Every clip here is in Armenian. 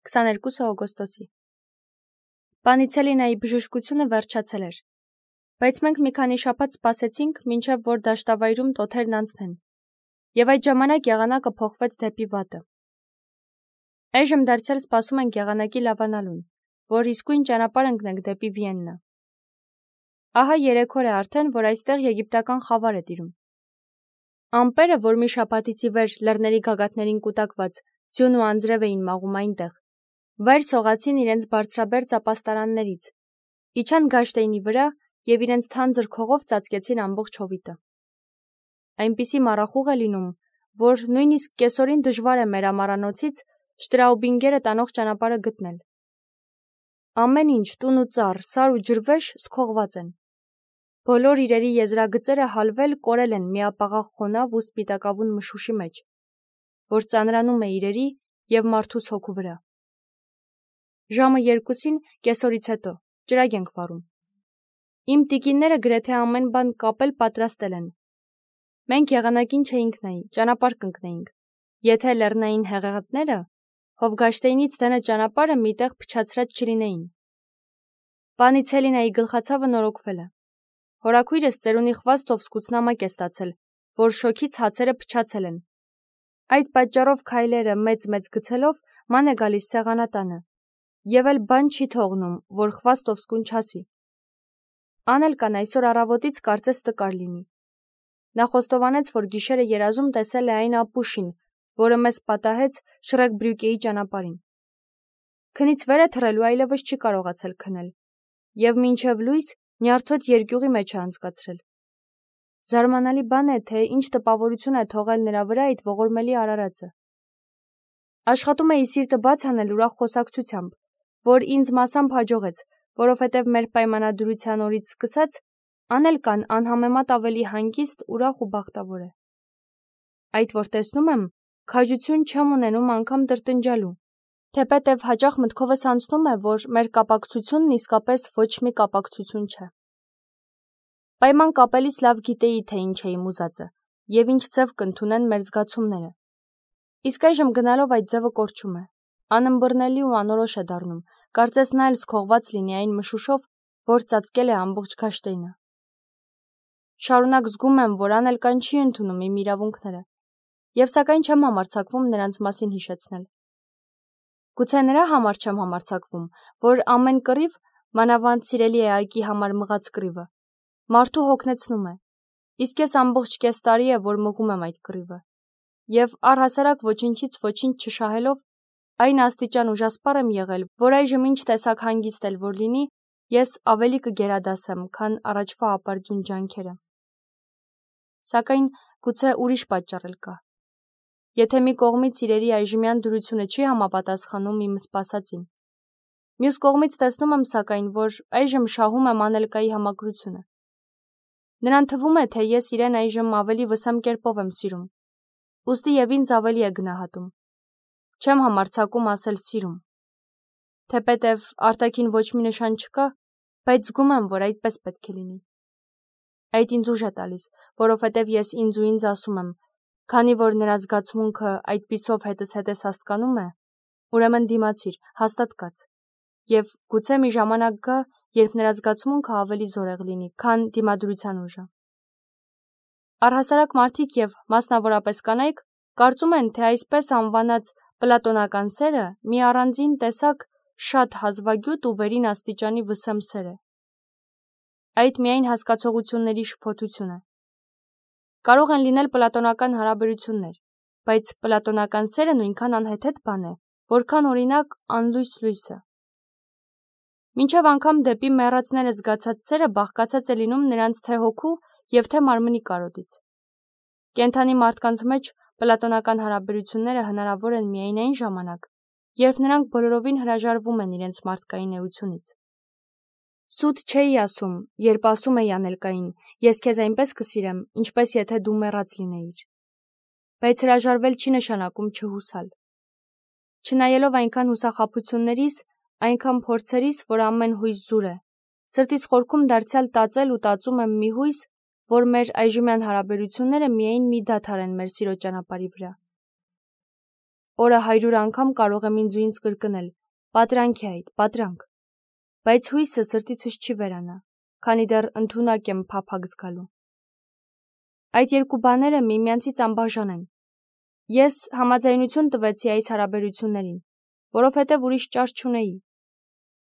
22 օգոստոսի։ Պանիցելինայի բժշկությունը վերջացել էր, բայց մենք մի քանի շաբաթ սպասեցինք, մինչև որ դաշտավայրում տոթերն անցնեն, եւ այդ ժամանակ եղանակը փոխվեց դեպի վատը։ Այժմ դարձյալ սպասում ենք եղանակի լավանալուն, որ իսկույն ճանապարհ ընկնենք դեպի Վիեննա։ Ահա 3 օր է արդեն, որ այստեղ եգիպտական խավար է տիրում։ Ամպերը, որ մի շաբաթից ի վեր լեռների գագաթներին կուտակված ձյուն ու անձրև էին մաղում այնտեղ, վայր սողացին իրենց բարձրաբերձ ապաստարաններից, իջան Գաշտեյնի վրա եւ իրենց թանձր քողով ծածկեցին ամբողջ հովիտը։ Այնպիսի մառախուղ է լինում, որ նույնիսկ կեսօրին դժվար է մեր ամառանոցից Շտրաուբինգերը տանող ճանապարհը գտնել։ Ամեն ինչ, տուն ու ծառ, սար ու ջրվեժ սքողված են։ Բոլոր իրերի եզրագծերը հալվել կորել են միապաղաղ խոնավ ու սպիտակավուն մշուշի մեջ, որ ծանրանում է իրերի եւ մարդուս հոգու վրա։ Ժամը 2-ին կեսօրից հետո ջրագ ենք վարում։ Իմ տիկինները գրեթե ամեն բան կապել պատրաստել են։ Մենք եղանակին չէինք նայի, ճանապարհ կընկնեինք, եթե լեռնային հեղեղատները Հովգաշտեյնից դենը ճանապարհը միտեղ փչացրած չլինեին։ Պանիցելինայի գլխացավը նորոգվել է։ Հորաքույրս ծերունի խվաստով սկուցնամակ է ստացել, որ շոքից հացերը փչացել են։ Այդ պատճառով քայլերը մեծ գցելով ման է գալիս սեղանատանը, եւ էլ բան չի թողնում, որ խվաստով սկունչասի։ Անել կան այսօր առավոտից կարծես տկար լինի։ Նա խոստովանեց, որ գիշերը երազում տեսել է այն ապուշին, որը մեզ պատահեց Շրեկբրյուկեի ճանապարհին։ Քնից վեր է թռել ու այլևս չի կարողացել քնել, եւ մինչև լույս նյարդոտ երկյուղի մեջ է անցկացրել։ Զարմանալի բան է, թե ինչ տպավորություն է թողել նրա վրա այդ ողորմելի արարածը։ Աշխատում էի սիրտը բաց անել ուրախ խոսակցությամբ, որ ինձ մասամբ հաջողեց, որովհետև մեր պայմանադրության օրից սկսած Անել կան անհամեմատ ավելի հանգիստ, ուրախ ու բախտավոր է։ Այդ որ տեսնում եմ, քաջություն չեմ ունենում անգամ տրտնջալու, թեպետև հաճախ մտքովս անցնում է, որ մեր կապակցությունն իսկապես ոչ մի կապակցություն չէ։ Պայման կապելիս լավ գիտեի, թե ինչ է իմ ուզածը, եւ ինչ ձև կընդունեն մեր զգացումները։ Իսկ այժմ գնալով այդ ձևը կորչում է, անըմբռնելի ու անորոշ է դառնում, կարծես նա էլ սքողված լինի այն մշուշով, որ ծածկել է ամբողջ Գաշտեյնը։ Շարունակ զգում եմ, որ Անելկան չի ընդունում իմ իրավունքները, եւ սակայն չեմ համարձակվում նրանց մասին հիշեցնել։ Գուցե նրա համար չեմ համարձակվում, որ ամեն կռիվ, մանավանդ սիրելի է Այկի համար մղած կռիվը, մարդու հոգնեցնում է, իսկ ես ամբողջ կես տարի է, որ մղում եմ այդ կռիվը, եւ առհասարակ ոչինչից ոչինչ չշահելով, այն աստիճան ուժասպառ եմ եղել, որ այժմ ինչ տեսակ հանգիստ էլ որ լինի, ես ավելի կգերադասեմ, քան առաջվա ապարդյուն ջանքերը։ Սակայն գուցե ուրիշ պատճառ էլ կա։ Եթե մի կողմից իրերի այժմյան դրությունը չի համապատասխանում իմ սպասածին, մյուս կողմից տեսնում եմ սակայն, որ այժմ շահում եմ Անելկայի համակրությունը։ Նրան թվում է, թե ես իրեն այժմ ավելի վսեմ կերպով եմ սիրում, ուստի եւ ինձ ավելի է գնահատում։ Չեմ համարձակում ասել սիրում, թեպետև արտաքին ոչ մի նշան չկա, բայց զգում եմ, որ այդպես պետք է լինի։ Այդ ինձ ուժ է տալիս, որովհետև ես ինձ ասում եմ, քանի որ նրա զգացմունքը այդպիսով հետս հետես հասկանում է, ուրեմն դիմացիր, հաստատ կաց, եւ գուցե մի ժամանակ գա, երբ նրա զգացմունքը ավելի զորեղ լինի, քան դիմադրության ուժը։ Առհասարակ մարդիկ եւ մասնավորապես կանայք կարծում են, թե այսպես անվանած պլատոնական սերը մի առանձին տեսակ շատ հազվագյուտ ու վերին աստիճանի վսեմ սեր է։ Այդ միայն հասկացողությունների շփոթություն է։ Կարող են լինել պլատոնական հարաբերություններ, բայց պլատոնական սերը նույնքան անհեթեթ բան է, որքան օրինակ անլույս լույսը։ Մինչև անգամ դեպի մեռածները զգացած սերը բաղկացած է լինում նրանց թե հոգու եւ թե մարմնի կարոտից։ Կենդանի մարդկանց մեջ պլատոնական հարաբերությունները հնարավոր են միայն այն ժամանակ, երբ նրանք բոլորովին հրաժարվում են իրենց մարդկային էությունից։ Սուտ չէի ասում, երբ ասում էի Անելկային, ես քեզ այնպես կսիրեմ, ինչպես եթե դու մեռած լինեիր։ Բայց հրաժարվել չի նշանակում չհուսալ։ Չնայելով այնքան հուսախաբություններիս, այնքան փորձերիս, որ ամեն հույս զուր է, սրտիս խորքում դարձյալ տածել ու տածում եմ մի հույս, որ մեր այժմյան հարաբերությունները միայն մի դադար են մեր սիրո ճանապարհի վրա։ Օրը 100 անգամ կարող եմ ինձ ու ինձ կրկնել. պատրանք է այդ, պատրանք։ Բայց հույսը սրտիցս չի վերանա, քանի դեռ ընդունակ եմ փափագ զգալու։ Այդ երկու բաները միմյանցից անբաժան են։ Ես համաձայնություն տվեցի այս հարաբերություններին, որովհետև ուրիշ ճար չունեի,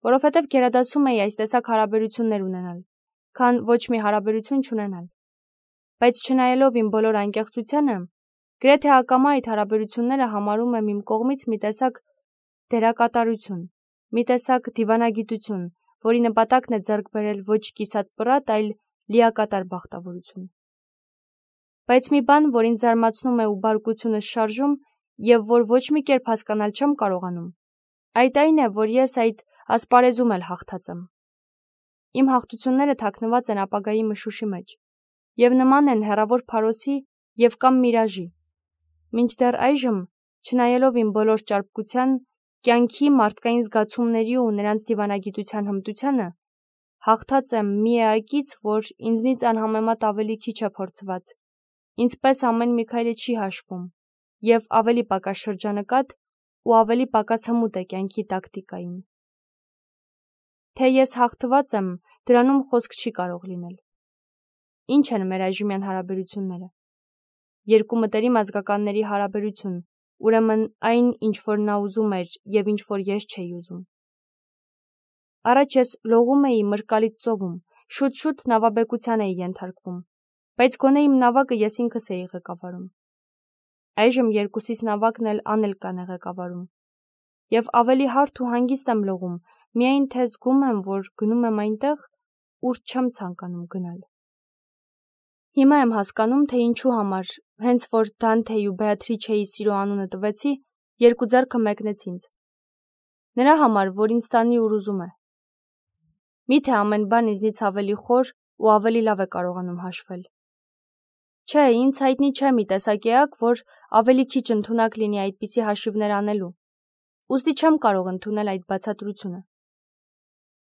որովհետև գերադասում էի այս տեսակ հարաբերություններ ունենալ, քան ոչ մի հարաբերություն չունենալ։ Բայց չնայելով իմ բոլոր անկեղծությանը, գրեթե ակամա այդ հարաբերությունները համարում եմ իմ կողմից մի տեսակ դերակատարություն, մի տեսակ դիվանագիտություն, որի նպատակն է ձեռք բերել ոչ կիսատ պռատ, այլ լիակատար բախտավորություն։ Բայց մի բան, որ ինձ զարմացնում է ու բարկությունս շարժում, եւ որ ոչ մի կերպ հասկանալ չեմ կարողանում, այդ այն է, որ ես այդ ասպարեզում էլ հաղթած եմ։ Իմ հաղթությունները թաքնված են ապագայի մշուշի մեջ, եւ նման են հեռավոր փարոսի եւ կամ միրաժի։ Մինչդեռ այժմ, չնայելով իմ բոլոր ճարպկության, կյանքի, մարդկային զգացումների ու նրանց դիվանագիտության հմտությանը, հաղթած եմ մի էակից, որ ինձնից անհամեմատ ավելի քիչ է փորձված, ինձպես ամեն մի քայլը չի հաշվում, եւ ավելի պակաս շրջանկատ ու ավելի պակաս հմուտ է կյանքի տակտիկային։ Թե ես հաղթված եմ, դրանում խոսք չի կարող լինել։ Ինչ են մեր այժմյան հարաբերությունները։ Երկու մտերիմ ազգականների հարաբերություն, ուրեմն այն, ինչ որ նա ուզում էր եւ ինչ որ ես չէի ուզում։ Առաջ ես լողում էի մրկալիտ ծովում, շուտ-շուտ նավաբեկության էի ենթարկվում, բայց գոնե իմ նավակը ես ինքս էի ղեկավարում։ Այժմ երկուսիս նավակն էլ Անելկան է ղեկավարում։ Եվ ավելի հարթ ու հանգիստ եմ լողում, միայն թե զգում եմ, որ գնում եմ այնտեղ, ուր չեմ ցանկանում գնալ։ Հիմա եմ հասկանում, թե ինչու համար, հենց որ Դանթեի ու Բեատրիչեի սիրո անունը տվեցի, երկու ձեռքը մեկնեց ինձ։ Նրա համար, որ ինձ տանի ուր ուզում է։ Միթե ամեն բան ինձնից ավելի խոր ու ավելի լավ է կարողանում հաշվել։ Չէ, ինձ հայտնի չէ մի տեսակ էակ, որ ավելի քիչ ընդունակ լինի այդպիսի հաշիվներ անելու։ Ուստի չեմ կարող ընդունել այդ բացատրությունը։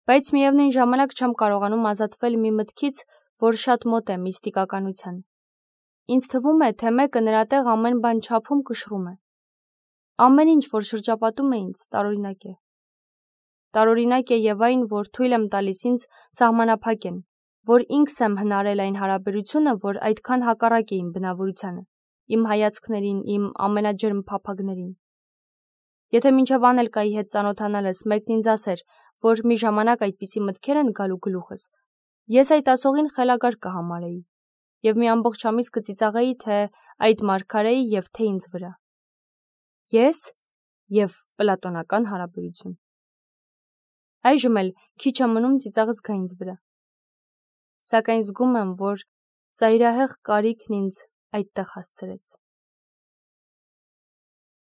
Բայց միևնույն ժամանակ չեմ կարողանում ազատվել մի մտքից, որ շատ մոտ է միստիկականության։ Ինձ թվում է, թե մեկը նրա տեղ ամեն բան չափում կշռում է։ Ամեն ինչ, որ շրջապատում է ինձ, տարօրինակ է։ Տարօրինակ է եւ այն, որ թույլ եմ տալիս ինձ սահմանափակեն, որ ինքս եմ հնարել այն հարաբերությունը, որ այդքան հակառակ է իմ բնավորությանը, իմ հայացքներին, իմ ամենաջերմ փափագներին։ Եթե մինչև Անելկայի հետ ծանոթանալս մեկն ինձ ասեր, որ մի ժամանակ այդպիսի մտքեր են գալու գլուխս, ես այդ ասողին խելագար կհամարեի եւ մի ամբողջ ամիս կծիծաղեի թե այդ մարգարեի եւ թե ինձ վրա։ Ես եւ պլատոնական հարաբերություն։ Այժմ էլ քիչ է մնում ծիծաղս գա ինձ վրա։ Սակայն զգում եմ, որ ծայրահեղ կարիքն ինձ այդտեղ հասցրեց։